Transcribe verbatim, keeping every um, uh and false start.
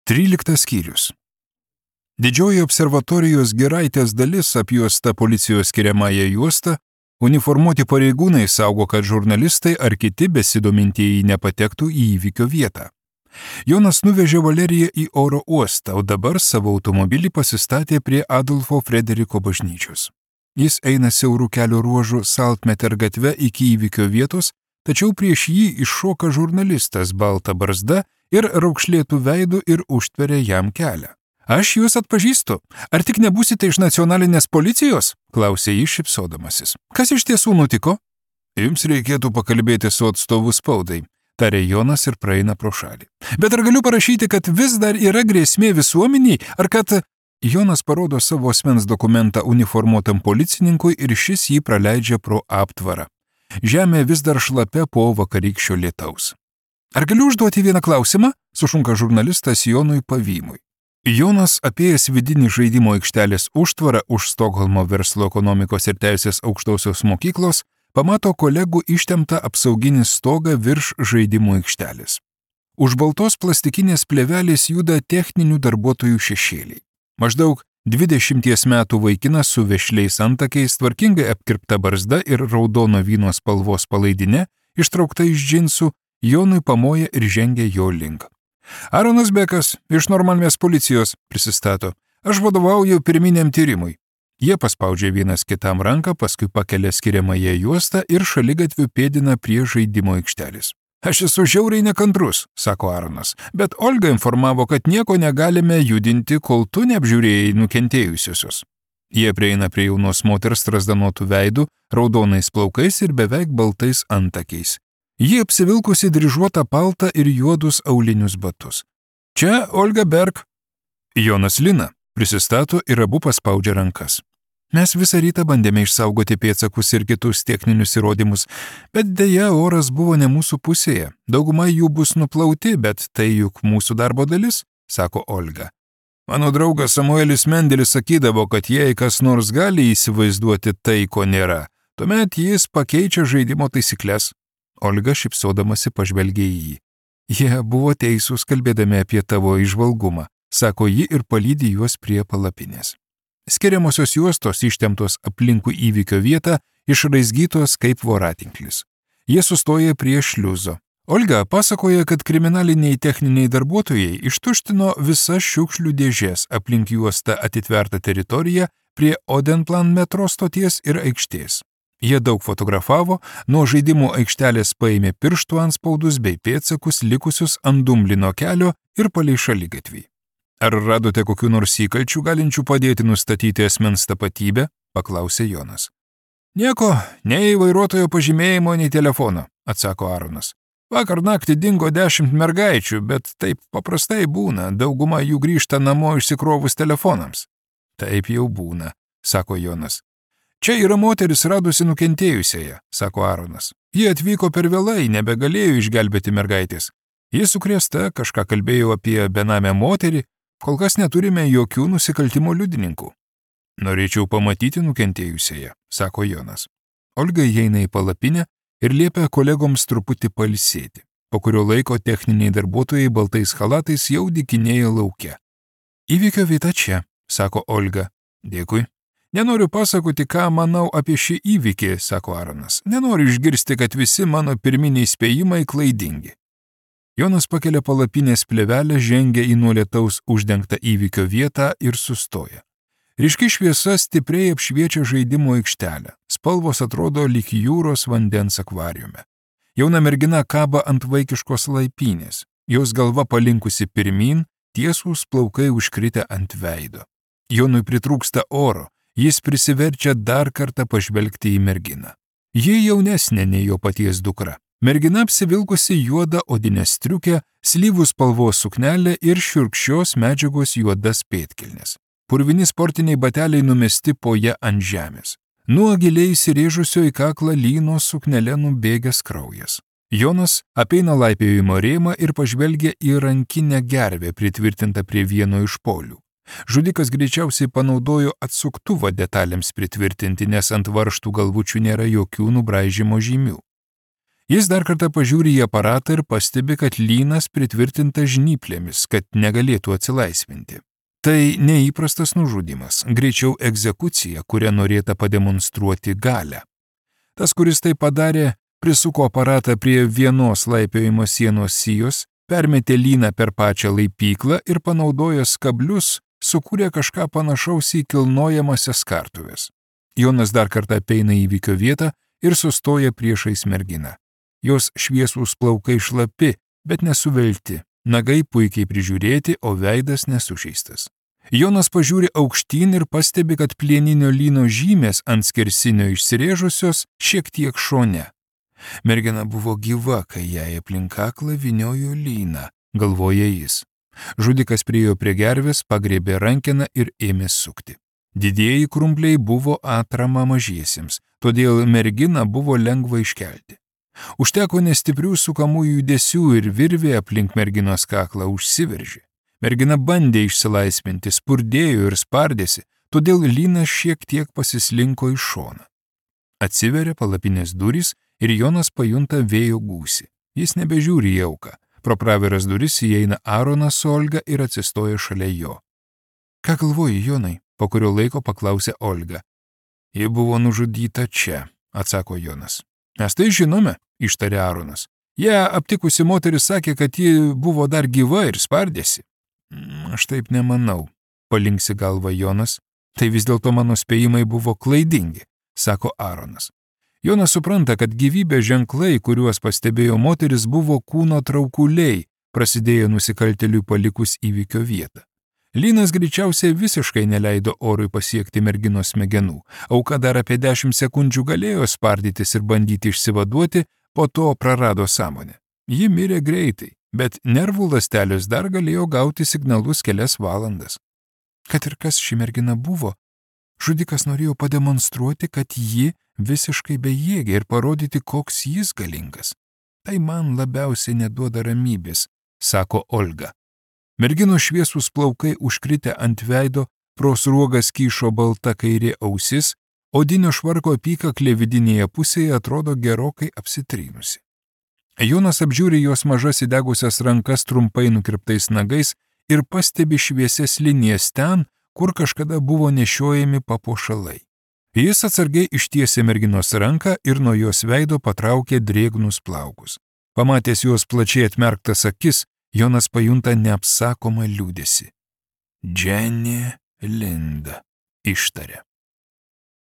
Tryliktas skyrius. Didžioji observatorijos Giraitės dalis apjuosta policijos skiriamąją juostą, uniformuoti pareigūnai saugo, kad žurnalistai ar kiti besidomintieji nepatektų į įvykio vietą. Jonas nuvežė Valeriją į oro uostą, o dabar savo automobilį pasistatė prie Adolfo Frederiko bažnyčios. Jis eina siaurų kelio ruožų Saltmeter gatve iki įvykio vietos, tačiau prieš jį iššoka žurnalistas balta barzda ir raukšlėtų veidų ir užtveria jam kelią. Aš jūs atpažįstu. Ar tik nebūsite iš nacionalinės policijos? Klausė jis šypsodamasis. Kas iš tiesų nutiko? Jums reikėtų pakalbėti su atstovu spaudai, tarė Jonas ir praeina pro šalį. Bet ar galiu parašyti, kad vis dar yra grėsmė visuomeniai, ar kad... Jonas parodo savo asmens dokumentą uniformuotam policininkui ir šis jį praleidžia pro aptvarą. Žemė vis dar šlapia po vakarykščio lietaus. Ar galiu užduoti vieną klausimą? Sušunka žurnalistas Jonui Pavymui. Jonas, apėjęs vidinį žaidimo aikštelės užtvarą už Stokholmo verslo ekonomikos ir teisės aukštosios mokyklos, pamato kolegų ištemptą apsauginį stogą virš žaidimo aikštelės. Už baltos plastikinės plėvelės juda techninių darbuotojų šešėliai. Maždaug dvidešimties metų vaikinas su vešliais antakiais, tvarkingai apkirpta barzda ir raudono vyno spalvos palaidinė, ištraukta iš džinsų, Jonui pamoja ir žengia jo link. Aronas Bekas iš Normalmės policijos prisistato. Aš vadovauju pirminiam tyrimui. Jie paspaudžia vienas kitam ranką, paskui pakelia skiriamąją juostą ir šaligatviu pėdina prie žaidimo aikštelės. Aš esu žiauriai nekantrus, sako Aronas, bet Olga informavo, kad nieko negalime judinti, kol tu neapžiūrėjai nukentėjusiosios. Jie prieina prie jaunos moters strazdanotų veidų, raudonais plaukais ir beveik baltais antakiais. Ji apsivilkusi dryžuotą paltą ir juodus aulinius batus. Čia Olga Berg. Jonas Lina prisistato ir abu paspaudžia rankas. Mes visą rytą bandėme išsaugoti pėdsakus ir kitus techninius įrodymus, bet dėja oras buvo ne mūsų pusėje. Dauguma jų bus nuplauti, bet tai juk mūsų darbo dalis, sako Olga. Mano draugas Samuelis Mendelis sakydavo, kad jei kas nors gali įsivaizduoti tai, ko nėra, tuomet jis pakeičia žaidimo taisyklės. Olga šypsodamasi pažvelgė į jį. Jie buvo teisūs kalbėdami apie tavo įžvalgumą, sako ji ir palydi juos prie palapinės. Skiriamosios juostos ištemptos aplinkui įvykio vietą, išraizgytos kaip voratinklis. Jie sustoja prie šliuzo. Olga pasakoja, kad kriminaliniai techniniai darbuotojai ištuštino visas šiukšlių dėžės aplink juostą atitvertą teritoriją prie Odenplan metro stoties ir aikštės. Jie daug fotografavo, nuo žaidimų aikštelės paėmė pirštų antspaudus bei pėdsakus likusius ant Dumblino kelio ir palei šaligatvį. Ar radote kokių nors įkalčių galinčių padėti nustatyti asmens tapatybę? Paklausė Jonas. Nieko, nei vairuotojo pažymėjimo, nei telefono, atsako Aronas. Vakar naktį dingo dešimt mergaičių, bet taip paprastai būna, dauguma jų grįžta namo išsikrovus telefonams. Taip jau būna, sako Jonas. Čia yra moteris radusi nukentėjusiąją, sako Aronas. Ji atvyko per vėlai, nebegalėjo išgelbėti mergaitės. Ji sukrėsta, kažką kalbėjo apie benamę moterį, kol kas neturime jokių nusikaltimo liudininkų. Norėčiau pamatyti nukentėjusiąją, sako Jonas. Olga įeina į palapinę ir liepia kolegoms truputį pailsėti, po kurio laiko techniniai darbuotojai baltais chalatais jau dykinėja lauke. Įvykio vieta čia, sako Olga. Dėkui. Nenoriu pasakoti, ką manau apie šį įvykį, sako Aronas. Nenoriu išgirsti, kad visi mano pirminiai spėjimai klaidingi. Jonas pakelia palapinės plėvelę, žengia į nuo lietaus uždengtą įvykio vietą ir sustoja. Ryški šviesa stipriai apšviečia žaidimo aikštelę. Spalvos atrodo lyg jūros vandens akvariume. Jauna mergina kaba ant vaikiškos laipynės. Jos galva palinkusi pirmyn, tiesūs plaukai užkritę ant veido. Jonui pritrūksta oro. Jis prisiverčia dar kartą pažvelgti į merginą. Ji jaunesnė nei jo paties dukra. Mergina apsivilkusi juodą odinę striukę, slyvų spalvos suknelę ir šiurkščios medžiagos juodas pėdkelnes. Purvini sportiniai bateliai numesti po ją ant žemės. Nuo giliai įsirėžusio į kaklą lynos suknelę nubėgęs kraujas. Jonas apeina laipiojimo rėmą ir pažvelgia į rankinę gervę pritvirtintą prie vieno iš polių. Žudikas greičiausiai panaudojo atsuktuvą detalėms pritvirtinti, nes ant varžtų galvučių nėra jokių nubraižymo žymių. Jis dar kartą pažiūri į aparatą ir pastebi, kad lynas pritvirtintas žnyplėmis, kad negalėtų atsilaisvinti. Tai neįprastas nužudimas, greičiau egzekucija, kuria norėta pademonstruoti galią. Tas, kuris tai padarė, prisuko aparatą prie vienos laipiojimo sienos sijos, permetė lyną per pačią laipyklą ir panaudojęs kablius sukūrė kažką panašaus į kilnojamasias kartuves. Jonas dar kartą apeina įvykio vietą ir sustoja priešais merginą. Jos šviesūs plaukai šlapi, bet nesuvelti, nagai puikiai prižiūrėti, o veidas nesužeistas. Jonas pažiūri aukštyn ir pastebi, kad plieninio lyno žymės ant skersinio išsirėžusios šiek tiek šone. Mergina buvo gyva, kai jai aplink kaklą vyniojo lyną, galvoja jis. Žudikas priėjo prie gervės, pagrėbė rankeną ir ėmė sukti. Didieji krumpliai buvo atrama mažiesiems, todėl merginą buvo lengva iškelti. Užteko nestiprių sukamų judesių ir virvė aplink merginos kaklą užsiveržė. Mergina bandė išsilaisvinti, spurdėjo ir spardėsi, todėl lynas šiek tiek pasislinko į šoną. Atsiveria palapinės durys ir Jonas pajunta vėjo gūsį. Jis nebežiūri į auką. Pro praviras duris įeina Aaronas su Olga ir atsistoja šalia jo. Ką galvoji, Jonai? Po kurio laiko paklausė Olga. Ji buvo nužudyta čia, atsako Jonas. Mes tai žinome, ištarė Aaronas. Ją aptikusi moteris sakė, kad ji buvo dar gyva ir spardėsi. Aš taip nemanau, palinksi galva Jonas. Tai vis dėlto mano spėjimai buvo klaidingi, sako Aaronas. Jonas supranta, kad gyvybės ženklai, kuriuos pastebėjo moteris, buvo kūno traukuliai, prasidėjo nusikaltėliui palikus įvykio vietą. Lynas greičiausiai visiškai neleido orui pasiekti merginos smegenų. Auka dar apie dešimt sekundžių galėjo spardytis ir bandyti išsivaduoti, po to prarado sąmonę. Ji mirė greitai, bet nervų ląstelės dar galėjo gauti signalus kelias valandas. Kad ir kas ši mergina buvo, žudikas norėjo pademonstruoti, kad ji visiškai bejėgė ir parodyti, koks jis galingas. Tai man labiausiai neduoda ramybės, sako Olga. Merginos šviesūs plaukai užkritę ant veido, pro sruogas kyšo balta kairė ausis, odinio švarko apykaklė vidinėje pusėje atrodo gerokai apsitrynusi. Jonas apžiūri jos mažas įdegusias rankas trumpai nukirptais nagais ir pastebi šviesias linijas ten, kur kažkada buvo nešiojami papuošalai. Jis atsargiai ištiesė merginos ranką ir nuo jos veido patraukė drėgnus plaukus. Pamatęs jos plačiai atmerktas akis, Jonas pajunta neapsakomą liūdesį. Jenny Linda, ištarė.